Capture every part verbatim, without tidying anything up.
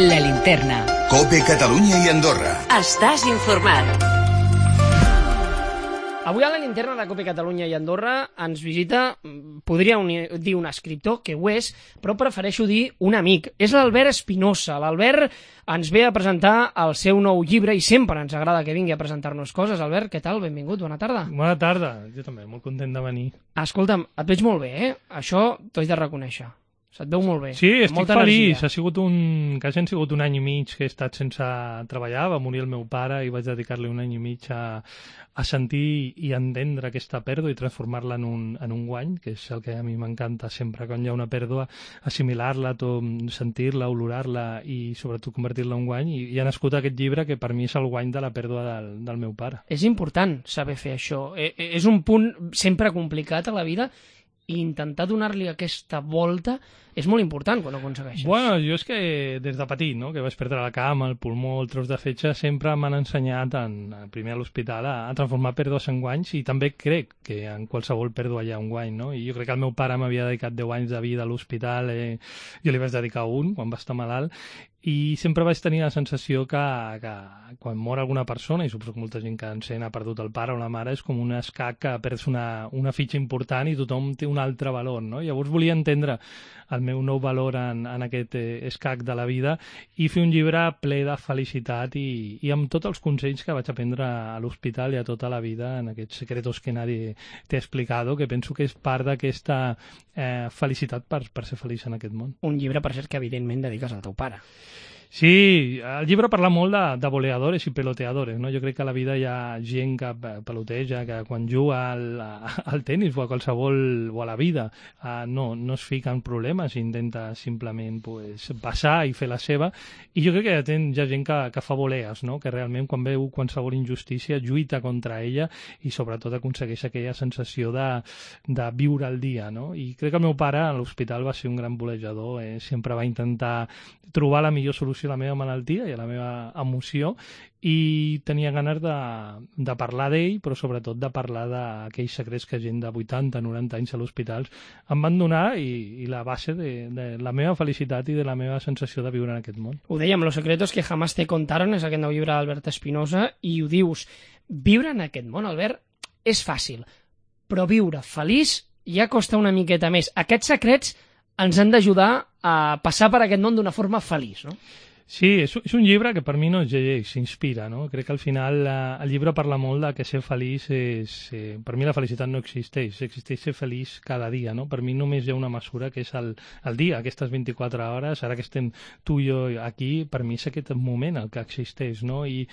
La Linterna. COPE Catalunya i Andorra. Estàs informat. Avui a la Linterna de COPE Catalunya i Andorra ens visita, podria dir un escriptor, que ho és, però prefereixo dir un amic. És l'Albert Espinosa. L'Albert ens ve a presentar el seu nou llibre i sempre ens agrada que vingui a presentar-nos coses. Albert, què tal? Benvingut, bona tarda. Bona tarda, jo també, molt content de venir. Escolta'm, et veig molt bé, eh? Això t'ho he de reconèixer. Se't veu molt bé. Sí, estic molta feliç. energia. Ha sigut un... quasi han sigut un any i mig que he estat sense treballar. Va morir el meu pare i vaig dedicar-li un any i mig a, a sentir i entendre aquesta pèrdua i transformar-la en un, en un guany, que és el que a mi m'encanta sempre. Quan hi ha una pèrdua, assimilar-la, sentir-la, olorar-la i sobretot convertir-la en un guany. I, i ha nascut aquest llibre que per mi és el guany de la pèrdua del, del meu pare. És important saber fer això. Eh, eh, és un punt sempre complicat a la vida i intentar donar-li aquesta volta és molt important quan ho aconsegueixes. Bueno, jo és que des de petit, no?, que vaig perdre la cama, el pulmó, el tros de fetge, sempre m'han ensenyat, en, primer a l'hospital, a, a transformar pèrdues en guanys, i també crec que en qualsevol pèrdua hi ha un guany, no? I jo crec que el meu pare m'havia dedicat deu anys de vida a l'hospital, eh, jo li vaig dedicar un quan va estar malalt, i sempre vaig tenir la sensació que, que quan mor alguna persona, i suposo que molta gent que encén ha perdut el pare o la mare, és com un escac que perds una, una fitxa important i tothom té un altre valor, no? Llavors volia entendre el meu nou valor en, en aquest eh, escac de la vida i fer un llibre ple de felicitat i, i amb tots els consells que vaig aprendre a l'hospital i a tota la vida en aquests secretos que nadie t'he explicat, que penso que és part d'aquesta eh, felicitat per, per ser feliç en aquest món. Un llibre, per cert, que evidentment dediques al teu pare. Sí, el llibre parla molt de, de voleadores i peloteadores, no? Jo crec que a la vida hi ha gent que peloteja, que quan juga al, al tenis o a qualsevol, o a la vida, uh, no, no es fica en problemes, intenta simplement pues, passar i fer la seva, i jo crec que hi ha, hi ha gent que, que fa volees, no? Que realment quan veu qualsevol injustícia lluita contra ella i sobretot aconsegueix aquella sensació de, de viure el dia, no? I crec que el meu pare a l'hospital va ser un gran volejador, eh? Sempre va intentar trobar la millor solució a la meva malaltia i a la meva emoció i tenia ganes de, de parlar d'ell, però sobretot de parlar d'aquells secrets que gent de vuitanta, noranta anys a l'hospital em van donar i, i la base de, de la meva felicitat i de la meva sensació de viure en aquest món. Ho dèiem, Los secretos que jamás te contaron, és aquest nou llibre d'Albert Espinosa, i ho dius, viure en aquest món, Albert, és fàcil, però viure feliç ja costa una miqueta més. Aquests secrets ens han d'ajudar a passar per aquest món d'una forma feliç, no? Sí, és, és un llibre que per mi no es llegeix, s'inspira, no? Crec que al final eh, el llibre parla molt de que ser feliç és... Eh, per mi la felicitat no existeix, existeix ser feliç cada dia, no? Per mi només hi ha una mesura que és el, el dia, aquestes vint-i-quatre hores, ara que estem tu i jo aquí, per mi és aquest moment el que existeix, no? I,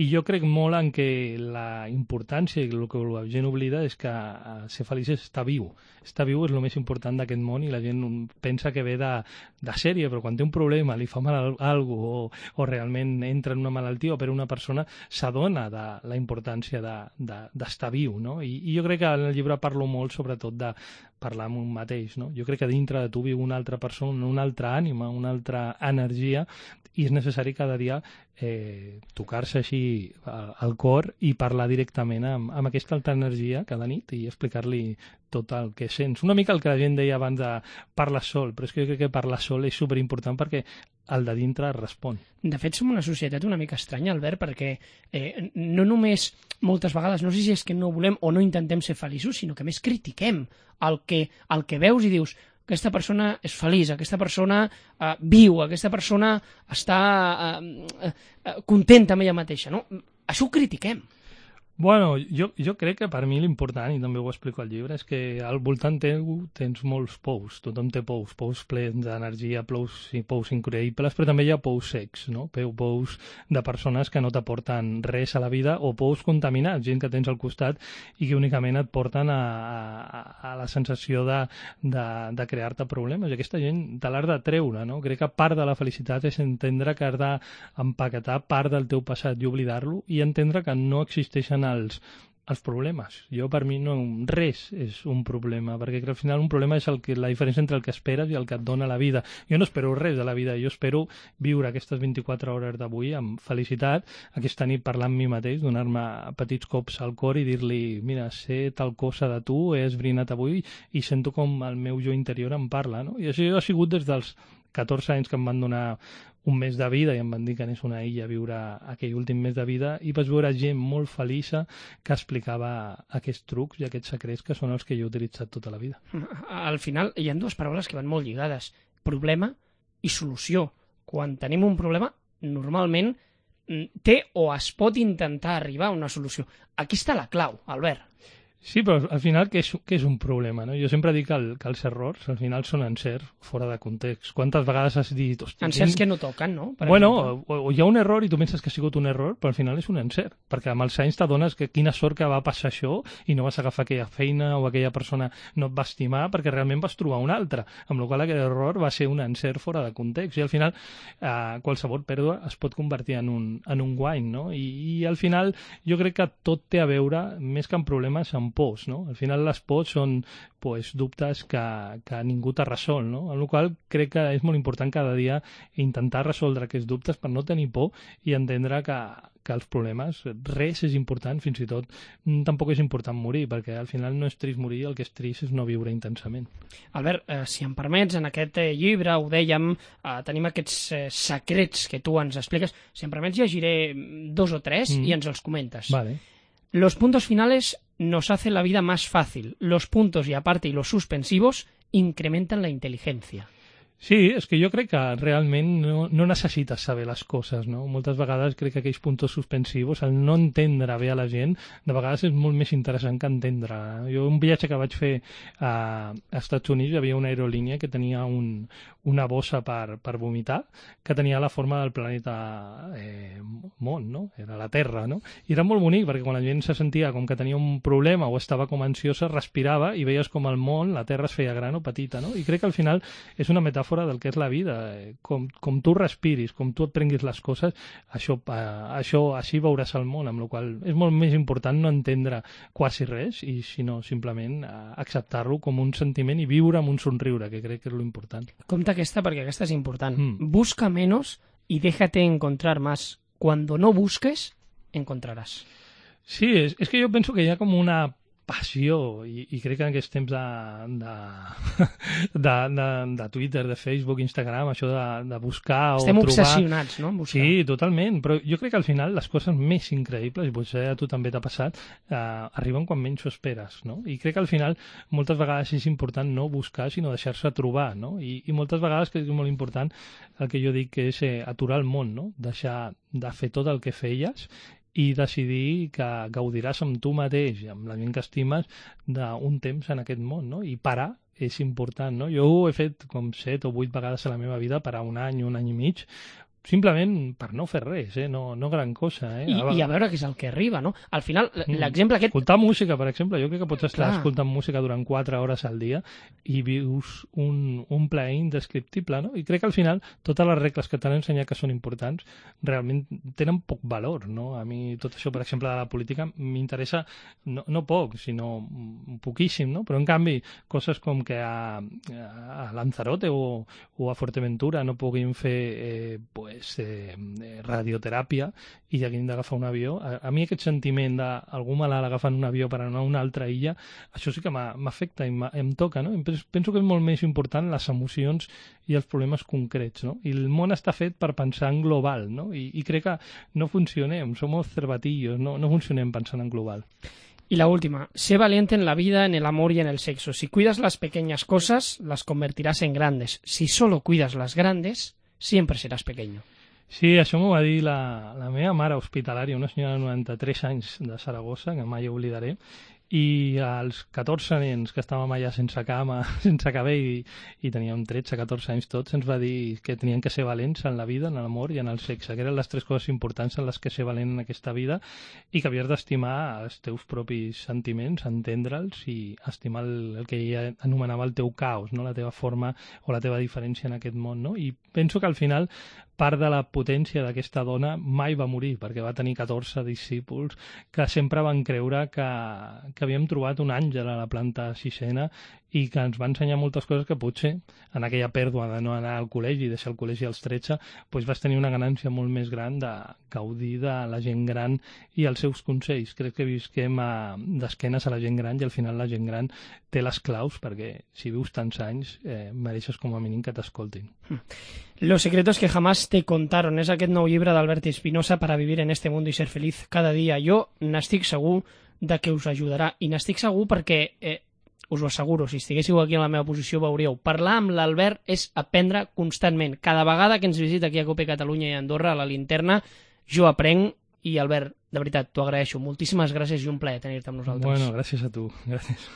i jo crec molt en que la importància i el que la gent oblida és que eh, ser feliç és estar viu. Estar viu és el més important d'aquest món i la gent pensa que ve de, de sèrie, però quan té un problema, li fa mal a algú o, o realment entra en una malaltia o per una persona, s'adona de la importància d'estar de, de, viu, no? I, I jo crec que en el llibre parlo molt sobretot de parlar amb un mateix, no? Jo crec que dintre de tu viu una altra persona, una altra ànima, una altra energia i és necessari cada dia eh, tocar-se així al cor i parlar directament amb, amb aquesta altra energia cada nit i explicar-li tot el que sents. Una mica el que la gent deia abans de parlar sol, però és que jo crec que parlar sol és superimportant perquè el de dintre respon. De fet, som una societat una mica estranya, Albert, perquè eh, no només moltes vegades, no sé si és que no volem o no intentem ser feliços, sinó que més critiquem el que, el que veus i dius aquesta persona és feliç, aquesta persona eh, viu, aquesta persona està eh, eh, contenta amb ella mateixa, no? Això ho critiquem. Bueno, jo, jo crec que per mi l'important, i també ho explico al llibre, és que al voltant teu tens molts pous, tothom té pous, pous plens d'energia, pous, pous increïbles, però també hi ha pous secs, no? Pous de persones que no t'aporten res a la vida o pous contaminats, gent que tens al costat i que únicament et porten a, a, a la sensació de, de, de crear-te problemes. I aquesta gent te l'has de treure, no? Crec que part de la felicitat és entendre que has d'empaquetar part del teu passat i oblidar-lo i entendre que no existeixen els, els problemes. Jo, per mi, no, res és un problema, perquè al final un problema és el que, la diferència entre el que esperes i el que et dona la vida. Jo no espero res de la vida, jo espero viure aquestes vint-i-quatre hores d'avui amb felicitat, aquesta nit parlar amb mi mateix, donar-me petits cops al cor i dir-li, mira, sé tal cosa de tu, he esbrinat avui i sento com el meu jo interior em parla, no? I això ha sigut des dels catorze anys que em van donar un mes de vida i em van dir que anés a una illa a viure aquell últim mes de vida, i vaig veure gent molt feliça que explicava aquests trucs i aquests secrets que són els que jo he utilitzat tota la vida. Al final hi ha dues paraules que van molt lligades: problema i solució. Quan tenim un problema, normalment té o es pot intentar arribar a una solució. Aquí està la clau, Albert. Sí, però al final què és, què és un problema, no? Jo sempre dic que, el, que els errors al final són encerts fora de context. Quantes vegades has dit... Encerts que no toquen, no? Per bueno, o, o hi ha un error i tu penses que ha sigut un error, però al final és un encert, perquè amb els anys t'adones que quina sort que va passar això i no vas agafar aquella feina o aquella persona no et va estimar perquè realment vas trobar una altra, amb la qual aquell error va ser un encert fora de context, i al final eh, qualsevol pèrdua es pot convertir en un, en un guany, no? I, i al final jo crec que tot té a veure, més que en problemes, amb pors, no? Al final les pors són pues, dubtes que, que ningú t'ha resolt, no? Amb la qual crec que és molt important cada dia intentar resoldre aquests dubtes per no tenir por i entendre que, que els problemes, res és important, fins i tot tampoc és important morir, perquè al final no és trist morir, el que és trist és no viure intensament. Albert, eh, si em permets, en aquest eh, llibre, ho dèiem, eh, tenim aquests eh, secrets que tu ens expliques. Si em permets, llegiré dos o tres mm. i ens els comentes. Vale. Los puntos finales nos hacen la vida más fácil. Los puntos y aparte y los suspensivos incrementan la inteligencia. Sí, és que jo crec que realment no, no necessites saber les coses, no? Moltes vegades crec que aquells puntos suspensius, el no entendre bé a la gent, de vegades és molt més interessant que entendre. Jo un viatge que vaig fer a, a Estats Units, hi havia una aerolínia que tenia un, una bossa per, per vomitar, que tenia la forma del planeta eh, món, no? Era la Terra, no? I era molt bonic, perquè quan la gent se sentia com que tenia un problema o estava com ansiosa, respirava i veies com el món, la Terra es feia gran o petita, no? I crec que al final és una metàfora fora del que és la vida, com, com tu respiris, com tu et prenguis les coses, això, eh, això així veuràs el món, amb la qual és molt més important no entendre quasi res, i sinó simplement eh, acceptar-lo com un sentiment i viure amb un somriure, que crec que és l'important. Compte aquesta, perquè aquesta és important. Mm. Busca menos y déjate encontrar más. Cuando no busques, encontrarás. Sí, és, és que jo penso que hi ha com una passió, i, i crec que en aquests temps de, de, de, de, de Twitter, de Facebook, Instagram, això de, de buscar Estem o trobar... Estem obsessionats, no?, en buscar. Sí, totalment, però jo crec que al final les coses més increïbles, i potser a tu també t'ha passat, eh, arriben quan menys ho esperes, no? I crec que al final moltes vegades és important no buscar, sinó deixar-se trobar, no? I, i moltes vegades crec que és molt important el que jo dic que és eh, aturar el món, no? Deixar de fer tot el que feies i decidir que gaudiràs amb tu mateix i amb la gent que estimes d'un temps en aquest món, no? I parar és important, no? Jo ho he fet com set o vuit vegades a la meva vida, parar un any, un any i mig, simplement per no fer res, eh? no, no gran cosa. Eh? I, I a veure què és el que arriba, no? Al final, l'exemple aquest... Escoltar música, per exemple. Jo crec que pots estar Clar. escoltant música durant quatre hores al dia i vius un, un plaer indescriptible, no? I crec que al final totes les regles que t'han ensenyat que són importants realment tenen poc valor, no? A mi tot això, per exemple, de la política m'interessa no, no poc, sinó poquíssim, no? Però en canvi, coses com que a, a Lanzarote o, o a Fuerteventura no puguin fer eh, pues, Eh, radioteràpia i haguin d'agafar un avió, a, a mi aquest sentiment d'algú malalt agafant un avió per anar a una altra illa, això sí que m'afecta i em toca, no? Penso, penso que és molt més important les emocions i els problemes concrets, no? I el món està fet per pensar en global, no? I, i crec que no funcionem, som cervatillos, no, no funcionem pensant en global. Y la última, sé valiente en la vida, en el amor y en el sexo. Si cuidas las pequeñas cosas, las convertirás en grandes. Si solo cuidas las grandes, siempre seràs pequeño. Sí, això m'ho va dir la, la meva mare hospitalària, una senyora de noranta-tres anys de Saragossa, que mai oblidaré, i als catorze nens que estàvem allà sense cama, sense cabell, i, i teníem tretze catorze anys tots, ens va dir que tenien que ser valents en la vida, en l'amor i en el sexe, que eren les tres coses importants en les que ser valent en aquesta vida, i que havies d'estimar els teus propis sentiments, entendre'ls i estimar el, el que ella anomenava el teu caos, no? La teva forma o la teva diferència en aquest món, no? I penso que al final part de la potència d'aquesta dona mai va morir, perquè va tenir catorze discípuls que sempre van creure que, que havíem trobat un àngel a la planta sisena i que ens va ensenyar moltes coses que potser en aquella pèrdua de no anar al col·legi i deixar el col·legi als tretze, doncs vas tenir una ganància molt més gran de gaudir de la gent gran i els seus consells. Crec que visquem d'esquenes a la gent gran i al final la gent gran té les claus perquè si vius tants anys eh, mereixes com a mínim que t'escoltin. Los secretos que jamás te contaron és aquest nou llibre d'Albert Espinosa para vivir en este mundo y ser feliz cada día. Jo n'estic segur de que us ajudarà i n'estic segur perquè eh, us ho asseguro, si estiguéssiu aquí en la meva posició veuríeu, parlar amb l'Albert és aprendre constantment. Cada vegada que ens visita aquí a Cope Catalunya i a Andorra, a la Linterna, jo aprenc i, Albert, de veritat, t'ho agraeixo. Moltíssimes gràcies i un plaer tenir-te amb nosaltres. Bueno, gràcies a tu. Gràcies.